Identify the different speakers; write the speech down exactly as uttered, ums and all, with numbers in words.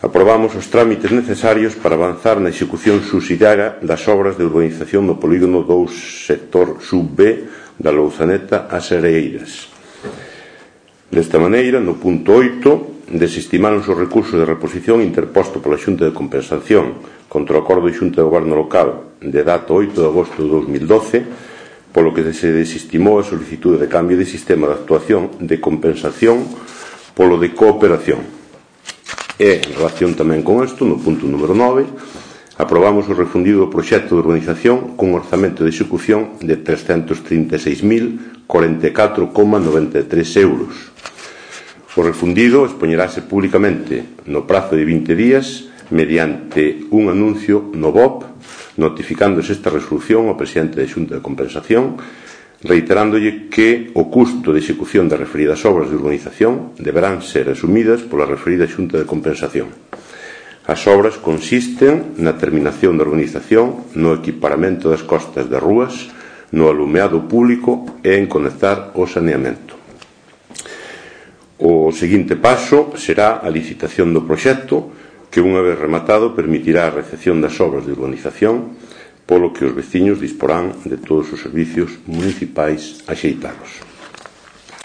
Speaker 1: Aprobamos os trámites necesarios para avanzar na execución subsidiaria das obras de urbanización no polígono dous sector sub B da Louzaneta ás Areiras. Desta maneira, no punto oito, desestimáronse os recursos de reposición interposto pola Xunta de Compensación contra o acordo de Xunta de Goberno Local de data oito de agosto de dous mil doce, polo que se desestimou a solicitude de cambio de sistema de actuación de compensación polo de cooperación. E, en relación tamén con isto, no punto número nove, aprobamos o refundido do proxecto de urbanización cun orzamento de execución de trescentos trinta e seis mil cuarenta e catro coma noventa e tres euros. O refundido expoñerase públicamente no prazo de vinte días mediante un anuncio no B O P, notificándose esta resolución ao presidente da Xunta de Compensación, reiterándolle que o custo de execución das referidas obras de urbanización deberán ser asumidas pola referida Xunta de Compensación. As obras consisten na terminación da urbanización, no equiparamento das costas das rúas, no alumeado público e en conectar o saneamento. O seguinte paso será a licitación do proxecto, que unha vez rematado permitirá a recepción das obras de urbanización, polo que os veciños disporán de todos os servicios municipais axeitados.